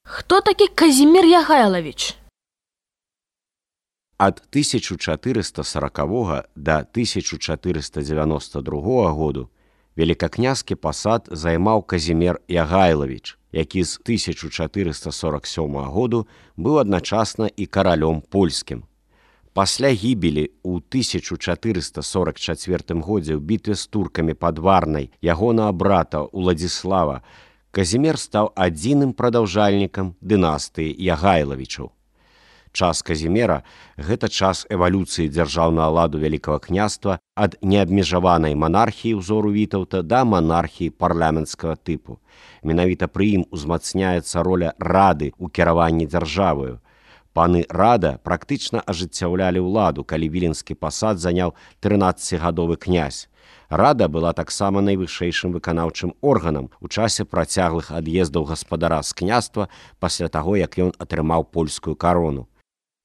Хто такі Казімір Ягайлавіч? Ад 1440 да 1492 году велікакнязькі пасад займаў Казімір Ягайлавіч, які з 1447 году быў адначасна і каралём польскім. Пасля гібелі ў 1444 годзе ў бітве з туркамі пад Варнай ягонага брата Уладзіслава Казімір стаў адзіным прадаўжальнікам дынастыі Ягайлавічаў. Час Казіміра – гэта час эвалюцыі дзяржаўнага ладу Вялікага княства ад неабмежаванай манархіі ўзору Вітаўта да манархіі парламенцкага тыпу. Менавіта пры ім узмацняецца роля рады ў кіраванні дзяржаваю. Паны рада практычна ажыццяўлялі ўладу, калі віленскі пасад заняў 13гадовы князь. Рада была таксама найвышэйшым выканаўчым органам у часе працяглых ад'ездаў гаспадара з княства пасля таго, як ён атрымаў польскую карону.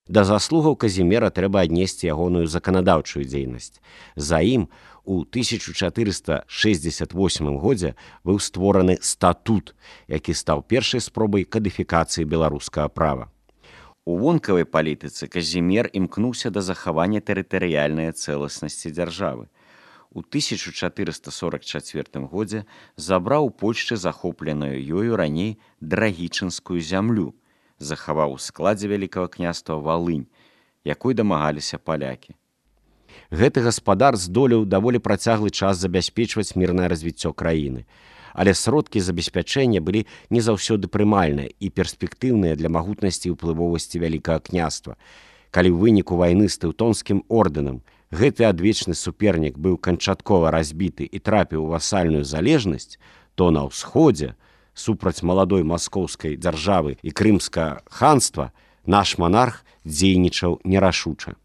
Да заслугаў Казіміра трэба аднесці ягоную заканадаўчую дзейнасць. За ім у 1468 годзе быў створаны статут, які стаў першай спробай кадыфікацыі беларускага права. У вонкавай палітыцы Казімір імкнуўся да захавання тэрытарыяльнай цэласнасці дзяржавы. У 1444 годзе забраў у Польшчы захопленую ёю раней драгічынскую зямлю, захаваў у складзе Вялікага княства Валынь, якой дамагаліся палякі. Гэты гаспадар здолеў даволі працяглы час забяспечваць мірнае развіццё краіны, але сродкі забеспячэння былі не заўсёды прымальныя і перспектыўныя для магутнасці і ўплывовасці Вялікага княства. Калі ў выніку вайны з тэўтонскім ордэнам гэты адвечны супернік быў канчаткова разбіты і трапіў у васальную залежнасць, то на ўсходзе, супраць маладой маскоўскай дзяржавы і крымскага ханства, наш манарх дзейнічаў нерашуча.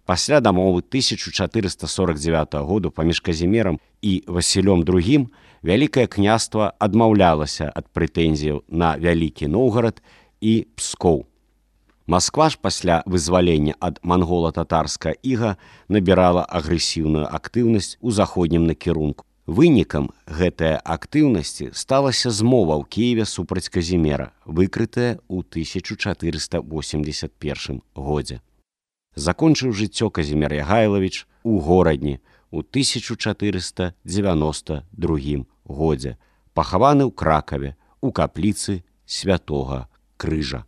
Пасля дамовы 1449 году паміж Казімірам і Васілём II Вялікае княства адмаўлялася ад прэтэнзіяў на Вялікі Новгарад і Пскоў. Масква ж пасля вызвалення ад мангола-татарскага іга набірала агрэсіўную актыўнасць у заходнім накірунку. Вынікам гэтай актыўнасці сталася змова ў Кіеве супраць Казіміра, выкрытая ў 1481 годзе. Закончыў жыццё Казімір Ягайлавіч у Горадні ў 1492 годзе, пахаваны ў Кракаве у капліцы Святога Крыжа.